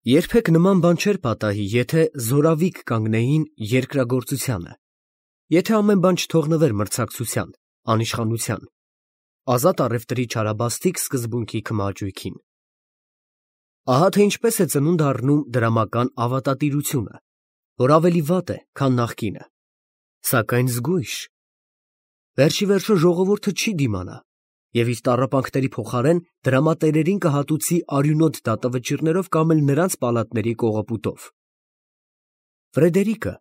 Երբեք նման բան չէր պատահի, եթե զորավիկ կանգնեին երկրագործությանը, եթե ամեն բան չթողնվեր մրցակցության, անիշխանության, ազատ առևտրի չարաբաստիկ սկզբունքի քմահաճույքին։ Ահա թե ինչպես է ծնունդ առնում դրամական ավատատիրությունը, որ ավելի վատ է, քան նախկինը, սակայն զգույշ։ Վերջիվերջո ժողովուրդը չի դիմանա և իր տառապանքների փոխարեն դրամատերերին կհատուցի արյունոտ դատավճիռներով կամ էլ նրանց պալատների կողոպուտով։ Ֆրեդերիկը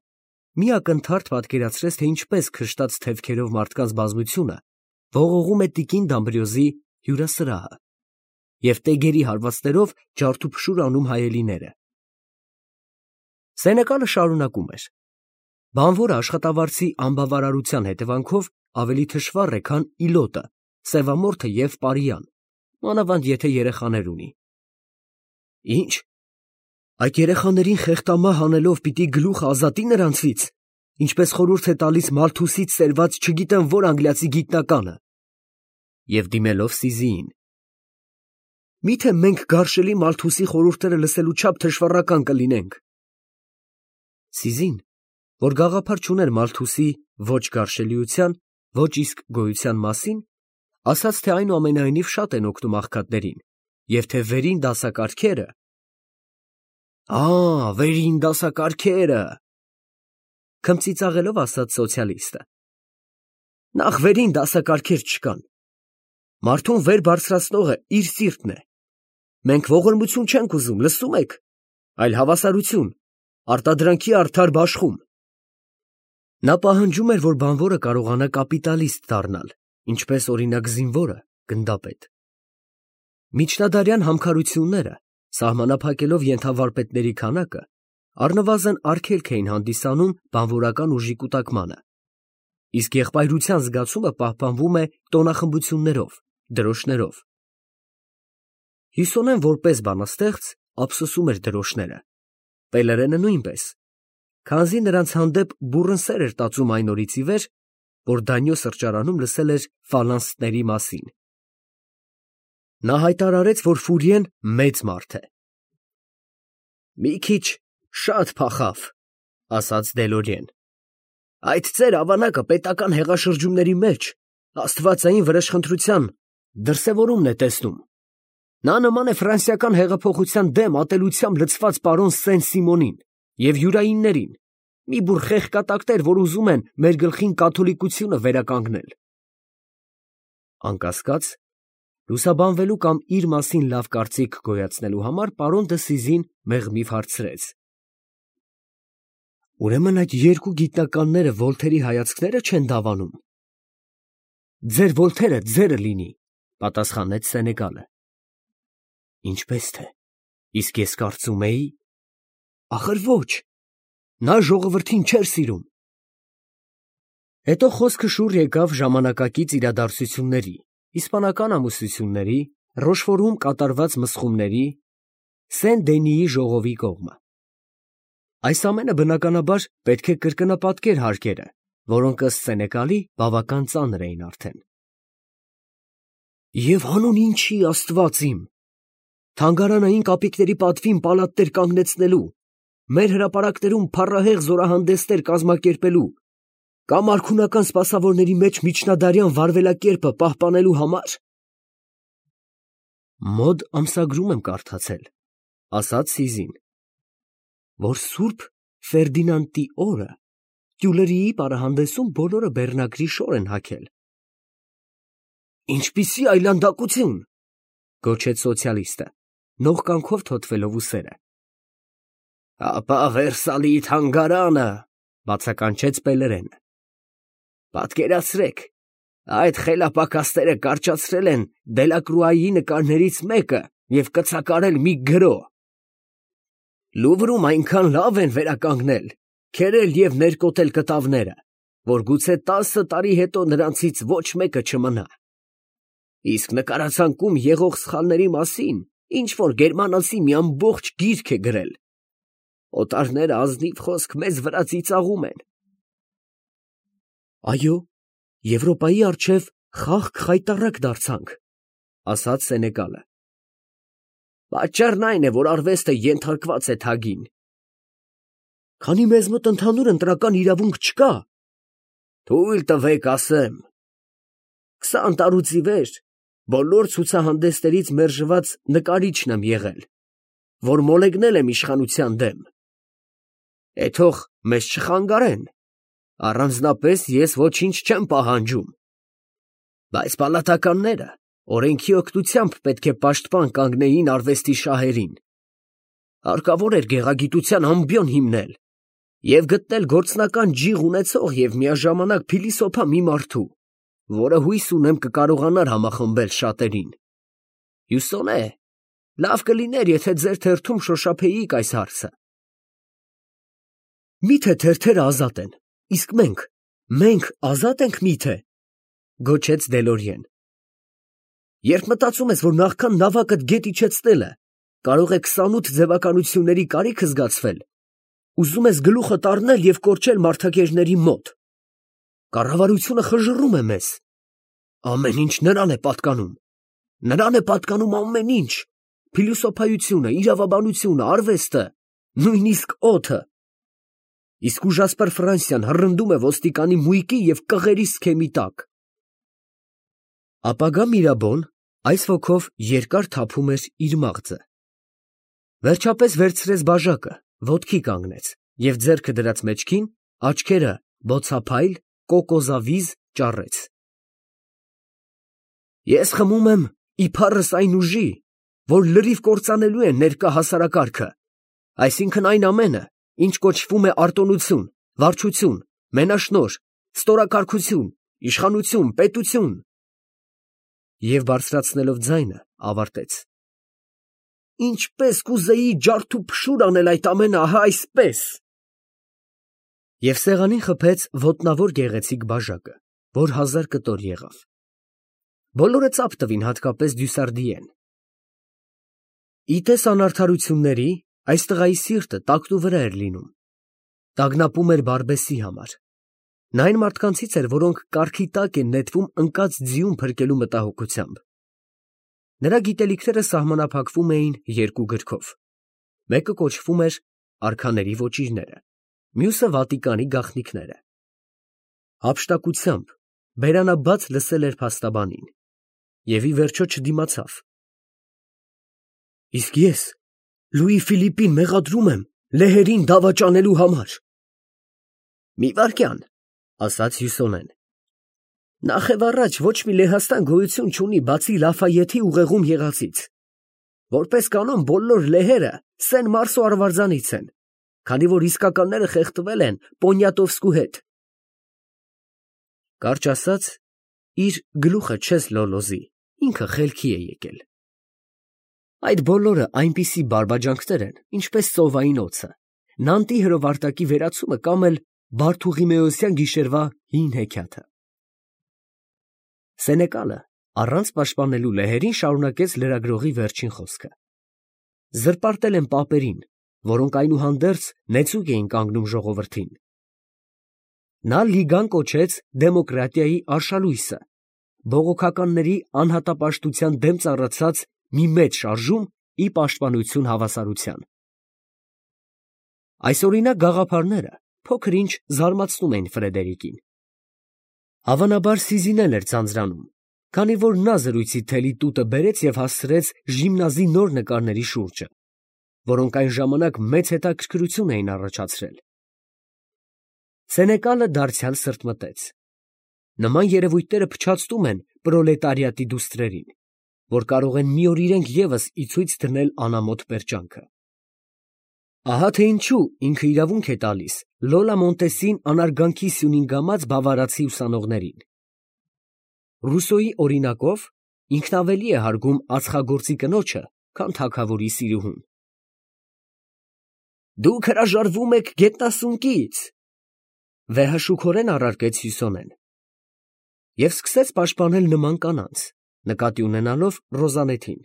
մի ակնթարթ պատկերացրեց, թե ինչպես քշտած թևքերով մարդկանց բազմությունը ողողում է տիկին Դամբրիոզի հյուրասրահը և տեգերի հարվածներով ջարդուփշուր անում հայելիները։ Սենեկալը շարունակում էր. բանվորը աշխատավարձի անբավարարության հետևանքով ավելի թշվառ է, քան իլոտը, սևամորթը և պարիան, մանավանդ եթե երեխաներ ունի։ Ինչ, այդ երեխաներին խեղդամահ անելով պիտի գլուխը ազատի նրանցից, ինչպես խորհուրդ է տալիս Մալթուսից սերված չգիտեմ որ անգլիացի գիտնականը։ Եվ դիմելով Սիզիին. Միթե մենք գարշելի Մալթուսի խորհուրդները լսելու չափ թշվառական կլինենք։ Սիզին, որ գաղափար չուներ Մալթուսի ոչ գարշելիության, ոչ իսկ գոյության մասին, ասաց, թե այնուամենայնիվ շատ են օգնում աղքատներին, և թե վերին դասակարգերը… վերին դասակարգերը… քմծիծաղելով ասաց սոցիալիստը։ Նախ վերին դասակարգեր չկան։ Մարդուն վեր բարձրացնողը իր սիրտն է։ Մենք ողորմություն չենք ուզում, լսում եք, այլ հավասարություն, արտադրանքի արդար բաշխում։ Նա պահանջում էր, որ բանվորը կարողանա կապիտալիստ դառնալ, ինչպես օրինակ զինվորը գնդապետ։ Միջնադարյան համքարությունները, սահմանափակելով ենթավարպետների քանակը, առնվազն արգելք էին հանդիսանում բանվորական ուժի կուտակմանը, իսկ եղբայրության զգացումը պահպանվում է տոնախմբություններով, դրոշներով։ Հյուսոնեն որպես բանաստեղծ ափսոսում էր դրոշները, Պելերենը նույնպես, քանզի նրանց հանդեպ բուռն սեր էր տածում այն օրից ի վեր, որ Դանյո սրճարանում լսել էր ֆալանստների մասին։ Նա հայտարարեց, որ Ֆուրիեն մեծ մարդ է։ Մի քիչ շատ փախավ, ասաց Դելորիեն։ Այդ ծեր ավանակը պետական հեղաշրջումների մեջ աստվածային վրեժխնդրության դրսևորումն է տեսնում։ Նա նման է ֆրանսիական հեղափոխության դեմ ատելությամբ լցված պարոն Սեն֊Սիմոնին և յուրայիններին, մի բուռ խեղկատակներ, որ ուզում են մեր գլխին կաթոլիկությունը վերականգնել։ Անկասկած, լուսաբանվելու կամ իր մասին լավ կարծիք գոյացնելու համար պարոն դը Սիզին մեղմիվ հարցրեց. Ուրեմն այդ երկու գիտնականները Վոլթերի հայացքները չեն դավանում։ Ձեր Վոլթերը ձերը լինի, պատասխանեց Սենեկալը։ Ինչպես թե, իսկ ես կարծում էի… Ախր ոչ, նա ժողովրդին չէր սիրում։ Հետո խոսքը շուռ եկավ ժամանակակից իրադարձությունների, իսպանական ամուսնությունների, Ռոշֆորում կատարված մսխումների, Սեն֊Դենիի ժողովի կողմը։ Այս ամենը բնականաբար պետք է կրկնապատկեր հարկերը, որոնք ըստ Սենեկալի բավական ծանր էին արդեն։ Եվ հանուն ինչի, Աստված իմ, թանգարանային կապիկների պատվին պալատներ կանգնեցնելու, մեր հրապարակներում փառահեղ զորահանդեսներ կազմակերպելու կամ արքունական սպասավորների մեջ միջնադարյան վարվելակերպը պահպանելու համար… Մոդ ամսագրում եմ կարդացել, ասաց Սիզին, որ Սուրբ Ֆերդինանդի օրը Տյուլերիի պարահանդեսում բոլորը բեռնագրի շոր են հագել։ Ինչպիսի այլանդակություն, գոչեց սոցիալիստը, նողկանքով թոթվելով ուսերը։ Ապա Վերսալի թանգարանը, բացականչեց Պելերենը։ Պատկերացրեք, այդ խելապակասները կարճացրել են Դելակրուայի նկարներից մեկը և կցակարել մի գրո։ Լուվրում այնքան լավ են վերականգնել, քերել և ներկոտել կտավները, որ գուցե 10 տարի հետո նրանցից ոչ մեկը չմնա։ Իսկ նկարացանկում եղող սխալների մասին ինչ֊որ գերմանացի մի ամբողջ գիրք է գրել։ Օտարները ազնիվ խոսք մեզ վրա ծիծաղում են։ Այո, Եվրոպայի առջև խաղք խայտառակ դարձանք, ասաց Սենեկալը։ Պատճառն այն է, որ արվեստը ենթարկված է թագին։ Քանի մեզ մոտ ընդհանուր ընտրական իրավունք չկա, թույլ տվեք ասեմ, 20 տարուց ի վեր բոլոր ցուցահանդեսներից մերժված նկարիչն եմ եղել, որ մոլեգնել եմ իշխանության դեմ։ Թող մեզ չխանգարեն, առանձնապես ես ոչինչ չեմ պահանջում, բայց պալատականները օրենքի օգնությամբ պետք է պաշտպան կանգնեին արվեստի շահերին։ Հարկավոր էր գեղագիտության ամբիոն հիմնել և գտնել գործնական ջիղ ունեցող և միաժամանակ փիլիսոփա մի մարդու, որը հույս ունեմ կկարողանար համախմբել շատերին։ Հյուսոն է, լավ կլիներ, եթե ձեր թերթում շոշափեիք այս հարցը։ Միթե թերթերը ազատ են, իսկ մենք ազատ ենք միթե, գոչեց Դելորիեն։ Երբ մտածում ես, որ նախքան նավակդ գետ իջեցնելը կարող է 28 ձևականությունների կարիք զգացվել, ուզում ես գլուխդ առնել և կորչել մարդակերների մոտ։ Կառավարությունը խժռում է մեզ։ Ամեն ինչ նրան է պատկանում։ Նրան է պատկանում ամեն ինչ. փիլիսոփայությունը, իրավաբանությունը, արվեստը, նույնիսկ օդը։ Իսկ ուժասպր Ֆրանսիան հռնդում է ոստիկանի մույկի և կղերի սքեմի տակ։ Ապագա Միրաբոն այս ոգով երկար թափում էր իր մաղձը։ Վերջապես վերցրեց բաժակը, ոտքի կանգնեց և ձեռքը դրած մեջքին, աչքերը բոցափայլ, կոկոզավիզ ճառեց։ Ես խմում եմ իբարս այն ուժի, որ լրիվ կործանելու է ներկա հասարակարգը, այսինքն այն ամենը, ինչ կոչվում է արտոնություն, վարչություն, մենաշնորհ, ստորակարգություն, իշխանություն, պետություն։ Եվ բարձրացնելով ձայնը, ավարտեց. Ինչպես կուզեի ջարդուփշուր անել այդ ամենը, ահա այսպես։ Եվ սեղանին խփեց ոտնավոր գեղեցիկ բաժակը, որ 1000 կտոր եղավ։ Բոլորը ծափ տվին, հատկապես Դյուսարդիեն։ Իտես անարդարությունների, այս տղայի սիրտը տակնուվրա էր լինում։ Տագնապում էր Բարբեսի համար։ Նա այն մարդկանցից էր, որոնք կառքի տակ են նետվում ընկած ձիուն փրկելու մտահոգությամբ։ Նրա գիտելիքները սահմանափակվում էին երկու գրքով։ Մեկը կոչվում էր «Արքաների ոճիրները», մյուսը «Վատիկանի գաղտնիքները»։ Հափշտակությամբ բերանաբաց լսել էր փաստաբանին և ի վերջո չդիմացավ։ Իսկ ես Լուի Ֆիլիպին մեղադրում եմ լեհերին դավաճանելու համար։ Մի վայրկյան, ասաց Հյուսոնեն։ Նախևառաջ ոչ մի Լեհաստան գոյություն չունի, բացի Լաֆայեթի ուղեղում եղածից։ Որպես կանոն բոլոր լեհերը Սեն Մարսո արվարձանից են, քանի որ իսկականները խեղդվել են Պոնյատովսկու հետ։ Կարճ ասած, իր գլուխը չես լոլոզի, ինքը խելքի է եկել։ Այդ բոլորը այնպիսի բարբաջանքներ են, ինչպես ծովային օձը, Նանտի հրովարտակի վերացումը կամ էլ Բարթուղիմեոսյան գիշերվա հին հեքիաթը։ Սենեկալը առանց պաշտպանելու լեհերին շարունակեց լրագրողի վերջին խոսքը. Զրպարտել են պապերին, որոնք այնուհանդերձ նեցուկ էին կանգնում ժողովրդին։ Նա լիգան կոչեց դեմոկրատիայի արշալույսը, բողոքականների անհատապաշտության դեմ ծառացած մի մեծ շարժում ի պաշտպանություն հավասարության։ Այսօրինակ գաղափարները փոքր-ինչ զարմացնում էին Ֆրեդերիկին։ Հավանաբար Սիզին էլ էր ձանձրանում, քանի որ նա զրույցի թելի տուտը բերեց և հասցրեց Ժիմնազի նոր նկարների շուրջը, որոնք այն ժամանակ մեծ հետաքրքրություն էին առաջացրել։ Սենեկալը դարձյալ սրտմտեց։ Նման երևույթները փչացնում են պրոլետարիատի դուստրերին, որ կարող են մի օր իրենք ևս ի ցույց դնել անամոթ պերճանքը։ Ահա թե ինչու ինքը իրավունք է տալիս Լոլա Մոնտեսին անարգանքի սյունին գամած բավարացի ուսանողներին։ Ռուսոյի օրինակով ինքն ավելի է հարգում ածխագործի կնոջը, քան թագավորի սիրուհուն։ Դուք հրաժարվում եք գետնասունկից, վեհաշուքորեն առարկեց Հյուսոնեն։ Եվ սկսեց պաշտպանել նման կանանց, նկատի ունենալով Ռոզանետին։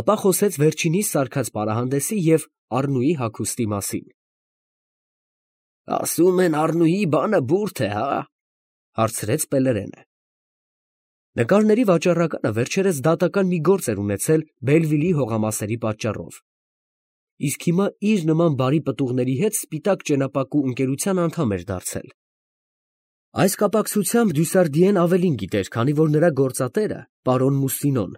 Ապա խոսեց վերջինիս սարքած պարահանդեսի և Առնուի հագուստի մասին։ Ասում են Առնուի բանը բուրդ է, հա՞, հարցրեց Պելերենը։ Նկարների վաճառականը վերջերս դատական մի գործ էր ունեցել Բելվիլի հողամասերի պատճառով, իսկ հիմա իր նման բարի պտուղների հետ սպիտակ ճենապակու ընկերության անդամ էր դարձել։ Այս կապակցությամբ Դյուսարդիեն ավելին գիտեր, քանի որ նրա գործատերը, պարոն Մուսինոն,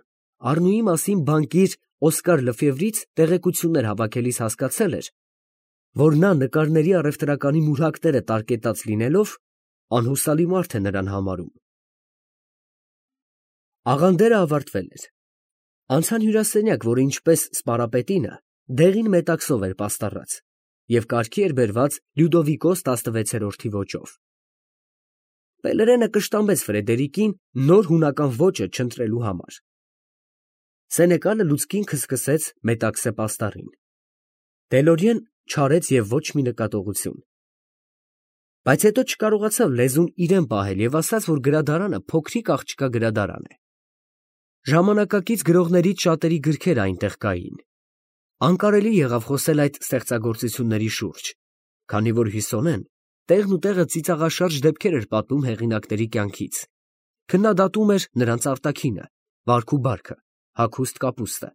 Առնուի մասին բանկիր Օսկար Լեֆևրից տեղեկություններ հավաքելիս հասկացել էր, որ նա նկարների առևտրականի մուրհակները տարկետած լինելով, անհուսալի մարդ է նրան համարում։ Աղանդերը ավարտվել էր։ Անցան հյուրասենյակ, որը ինչպես սպարապետինը, դեղին մետաքսով էր պաստառած և կարգի էր բերված Լյուդովիկոս 16-րդի ոճով։ Պելերենը կշտամբեց Ֆրեդերիկին նոր հունական ոճը չընտրելու համար։ Սենեկալը լուցկին քսքսեց մետաքսե պաստառին։ Դելորիեն չարեց և ոչ մի նկատողություն։ Բայց հետո չկարողացավ լեզուն իրեն պահել և ասաց, որ գրադարանը փոքրիկ աղջկա գրադարան է։ Ժամանակակից գրողներից շատերի գրքերը այնտեղ կային։ Անկարելի եղավ խոսել այդ ստեղծագործությունների շուրջ, քանի որ Հյուսոնեն տեղն ու տեղը ծիծաղաշարժ դեպքեր էր պատմում հեղինակների կյանքից, քննադատում էր նրանց արտաքինը, վարք ու բարքը, հագուստ կապուստը,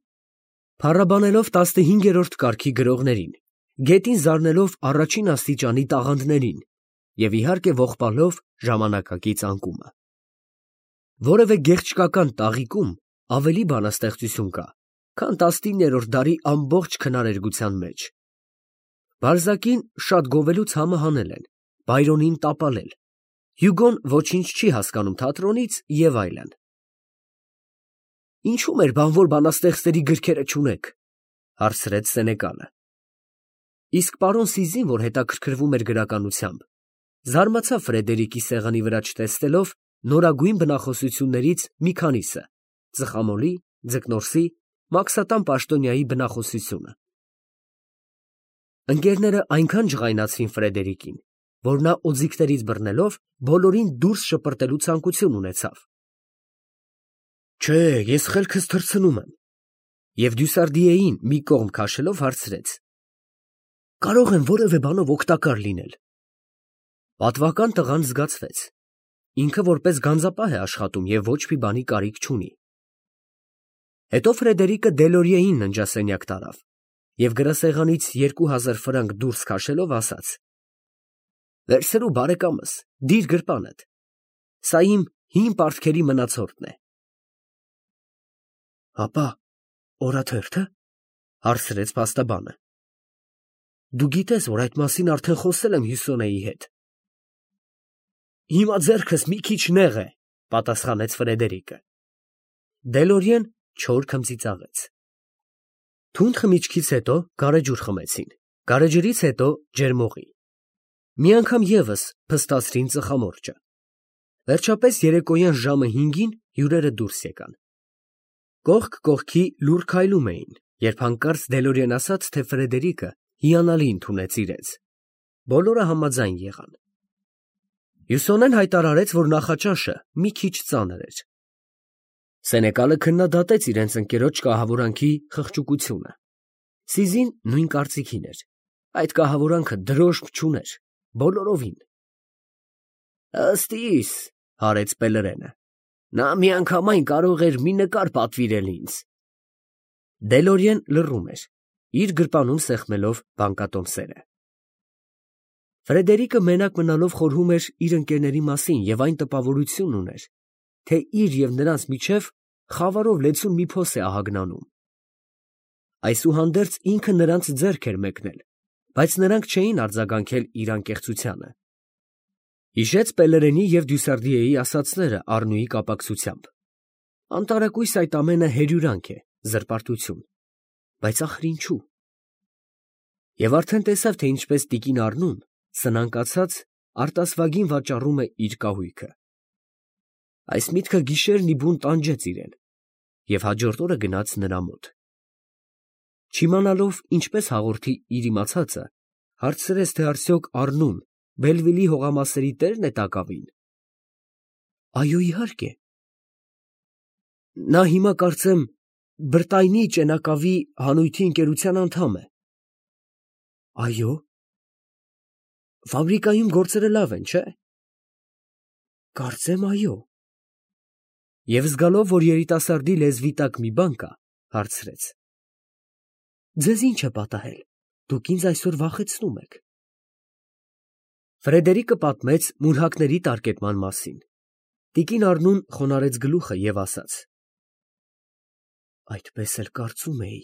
փառաբանելով 15-րդ կարգի գրողներին, գետին զարնելով առաջին աստիճանի տաղանդներին և իհարկե ողբալով ժամանակակից անկումը։ Որևէ գեղչկական տաղիքում ավելի բանաստեղծություն կա, քան 19-րդ դարի ամբողջ քնարերգության մեջ։ Բալզակին շատ գովելու ցամը հանել են, Բայրոնին տապալել, Հյուգոն ոչինչ չի հասկանում թատրոնից և այլն։ Ինչու՞ մեր բանվոր բանաստեղծների գրքերը չունեք, հարցրեց Սենեկալը։ Իսկ պարոն Սիզին, որ հետաքրքրվում էր գրականությամբ, զարմացավ Ֆրեդերիկի սեղանի վրա չտեսնելով նորագույն բնախոսություններից մի քանիսը՝ Ծխամոլի, Ձկնորսի, Մաքսատան Պաշտոնյայի բնախոսությունը։ Ընկերները այնքան ջղայնացրին Ֆրեդերիկին, որ նա օձիքներից բռնելով բոլորին դուրս շպրտելու ցանկություն ունեցավ։ Չէ, ես խելքս թռցնում եմ, և Դյուսարդիեին մի կողմ քաշելով հարցրեց. կարող եմ որևէ բանով օգտակար լինել։ Պատվական տղան զգացվեց։ Ինքը որպես գանձապահ է աշխատում և ոչ մի բանի կարիք չունի։ Հետո Ֆրեդերիկը Դելորիեին ննջասենյակ տարավ և գրասեղանից 2000 ֆրանկ դուրս քաշելով ասաց. վերցրու բարեկամս, դիր գրպանդ, սա իմ հին պարտքերի մնացորդն է։ Հապա օրաթերթը, հարցրեց փաստաբանը։ Դու գիտես, որ այդ մասին արդեն խոսել եմ Հյուսոնեի հետ։ Հիմա ձեռքս մի քիչ նեղ է, պատասխանեց Ֆրեդերիկը։ Դելորիեն չոր քմծիծաղեց։ Թունդ խմիչքից հետո գարեջուր խմեցին, գարեջրից հետո ջերմօղի։ Մի անգամ ևս փստացրին ծխամորճը։ Վերջապես երեկոյան ժամը 5-ին հյուրերը դուրս եկան։ Կողք կողքի լուռ քայլում էին, երբ հանկարծ Դելորիեն ասաց, թե Ֆրեդերիկը հիանալի ընդունեց իրենց։ Բոլորը համաձայն եղան։ Հյուսոնեն հայտարարեց, որ նախաճաշը մի քիչ ծանր էր։ Սենեկալը քննադատեց իրենց ընկերոջ կահավորանքի խղճուկությունը։ Սիզին նույն կարծիքին էր։ Այդ կահավորանքը դրոշմ չուներ, բոլորովին։ Ըստ իս, հարեց Պելերենը, նա միանգամայն կարող էր մի նկար պատվիրել ինձ։ Դելորիեն լռում էր, իր գրպանում սեղմելով բանկատոմսերը։ Ֆրեդերիկը մենակ մնալով խորհում էր իր ընկերների մասին և այն տպավորությունն ուներ, թե իր և նրանց միջև խավարով լեցուն մի փոս է ահագնանում։ Այսուհանդերձ ինքը նրանց ձեռք էր մեկնել, բայց նրանք չէին արձագանքել իր անկեղծությանը։ Հիշեց Պելերենի և Դյուսարդիեի ասածները Առնուի կապակցությամբ։ Անտարակույս այդ ամենը հերյուրանք է, զրպարտություն, բայց ախր ինչու։ Եվ արդեն տեսավ, թե ինչպես տիկին Առնուն, սնանկացած, արտասվագին վաճառում է իր կահույքը։ Այս միտքը գիշերն ի բուն տանջեց իրեն և հաջորդ օրը գնաց նրա մոտ։ Չիմանալով ինչպես հաղորդի իր իմացածը, հարցրեց, թե արդյոք Առնուն Բելվիլի հողամասերի տերն է Տակավին։ Այո, իհարկե։ Նա հիմա կարծեմ Բրտայնի ճենակավի հանույթի ընկերության անդամ է։ Այո։ Ֆաբրիկայում գործերը լավ են, չէ՞։ Կարծեմ այո։ Եվ զգալով, որ երիտասարդի լեզվի տակ մի բան կա, հարցրեց. Ձեզ ի՞նչ է պատահել, դուք ինձ այսօր վախեցնում եք։ Ֆրեդերիկը պատմեց մուրհակների տարկետման մասին։ Տիկին Առնուն խոնարհեց գլուխը և ասաց. Այդպես էլ կարծում էի։